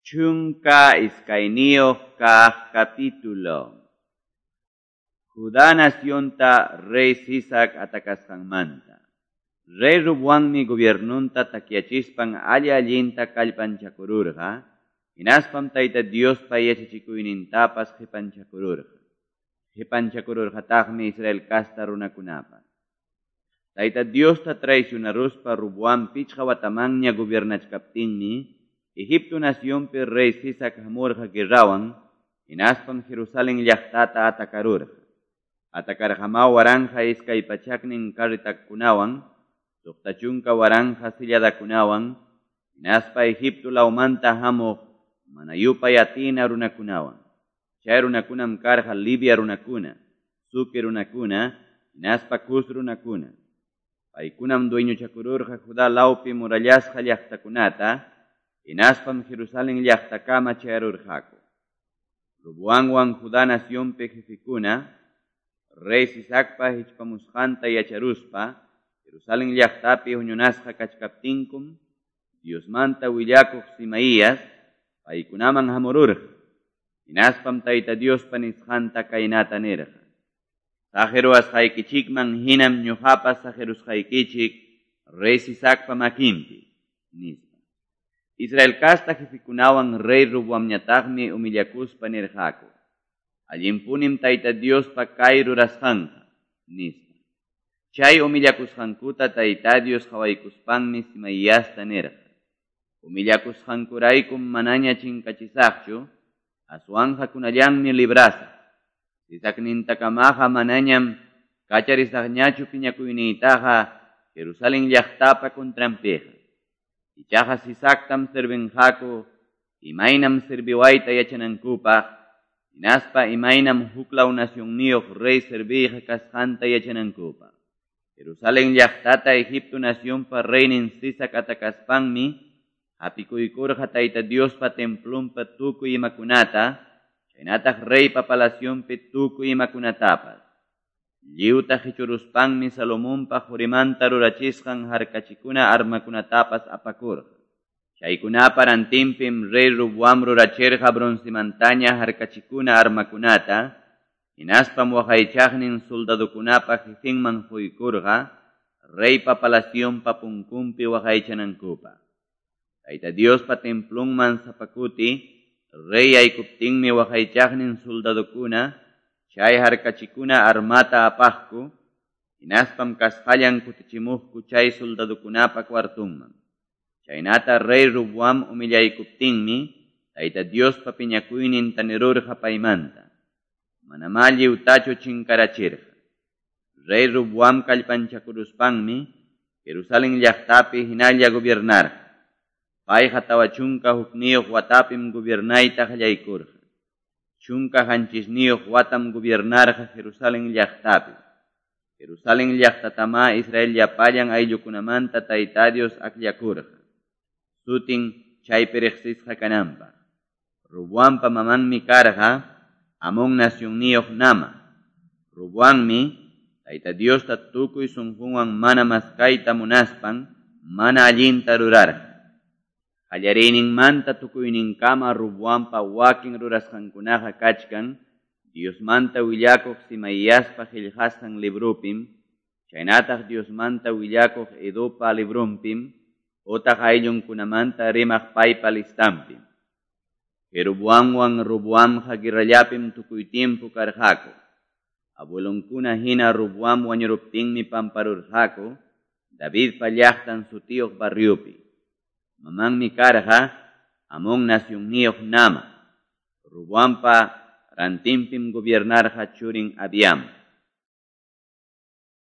12 kaq capítulo. Judá nacionta rey Sisac atacasqanmanta. Rey Roboammi gobiernunta takyachispan alli-allinta kallpanchakururqa, hinaspam Tayta Diospa yachachikuynintapas qipanchakururqa. Qipanchakururqataqmi Israel casta runakunapas. Tayta Diosta traicionaruspa Roboam 5 watamanña gobiernachkaptinmi, Egipto nacionpi rey Sisac hamurqa guerrawan, hinaspam Jerusalén llaqtata atakarurqa. Atakarqamá 1200 carretakunawan, 60,000 silladakunawan, hinaspa Egipto lawmanta hamuq mana yupay atina runakunawan. Chay runakunam karqa Libia runakuna, Suki runakuna, hinaspa Cus runakuna. Paykunam dueñochakururqa Judá lawpi murallasqa llaqtakunata, hinaspam Jerusalén llaqtakama chayarurqaku. Roboamwan Judá nacionpi jefekuna, rey Sisacpa hichpamusqanta yacharuspa, Jerusalén llaqtapi huñunasqa kachkaptinkum, Diosmanta willakuq Simaías paykunaman hamururqa. Hinaspam Tayta Diospa nisqanta kaynata nirqa: Saqirusqaykichikman hinam ñuqapas saqirusqaykichik rey Sisacpa makinpi, nispa. Israel casta jefekunawan rey Roboamñataqmi humillakuspa nirqaku: Allinpunim Tayta Diospa kay rurasqanqa, nispa. Chay humillakusqankuta Tayta Dios qhawaykuspanmi Simaiasta nirqa: Humillakusqankuraykum manaña chinkachisaqchu, aswanqa kunallanmi librasaq. Sisacnintakamaqa manañam kacharisaqñachu piñakuyniytaqa Jerusalén llaqtapa contranpiqa. Ichaqa Sisactam servinqaku imaynam serviwayta yachanankupaq, hinaspa imaynam huklaw nacionniyuq rey serviyqa kasqanta yachanankupaq. Jerusalén llaqtata Egipto nacionpa reynin Sisac atakaspanmi hapikuykurqa Tayta Diospa templonpa tukuy imakunata, chaynataq reypa palacionpi tukuy imakunatapas. Lliwta qichuruspanmi Salomonpa qurimanta rurachisqan harkachikuna armakunatapas apakurqa. Chaykunapa rantinpim rey Roboam rurachirqa broncemantaña harkachikuna armakunata, hinaspam waqaychaqnin soldadokunapa jefenman quykurqa reypa palacionpa punkunpi waqaychanankupaq. Tayta Diospa templonman sapakuti rey yaykuptinmi waqaychaqnin soldadokuna chay harkachikuna armata apaqku, hinaspam kasqallan kutichimuqku chay soldadokunapa cuartunman. Chaynata rey Roboam humillaykuptinmi Tayta Diospa piñakuynin tanirurqa paymanta. Manamá lliwtachu chinkarachirqa. Rey Roboam kallpanchakuruspanmi Jerusalén llaqtapi hinalla gobiernarqa. Payqa 41 watapim gobiernayta qallaykurqa. 17 watam gobiernarqa Jerusalén llaqtapi. Jerusalén llaqtatamá Israel llapallan ayllukunamanta Tayta Dios akllakurqa. Sutin chaypi riqsisqa kananpaq. Roboampa mamanmi karqa Amón nacionniyuq Nama. Roboammi Tayta Diosta tukuy sunqunwan mana maskayta munaspan mana allinta rurarqa. Qallariyninmanta tukuyninkama Roboampa wakin rurasqankunaqa kachkan Diosmanta willakuq Simaiaspa qillqasqan librupim, chaynataq Diosmanta willakuq Edopa librunpim, utaq ayllunkunamanta rimaq paypa listanpim. Jeroboamwan Roboamqa guerrallapim tukuy tiempo karqaku. Abuelonkuna hina Roboam wañuruptinmi pamparurqaku Davidpa llaqtan sutiyuq barriopi. Mamanmi karqa Amón nacionniyuq Nama. Roboampa rantinpim gobiernarqa churin Abiam.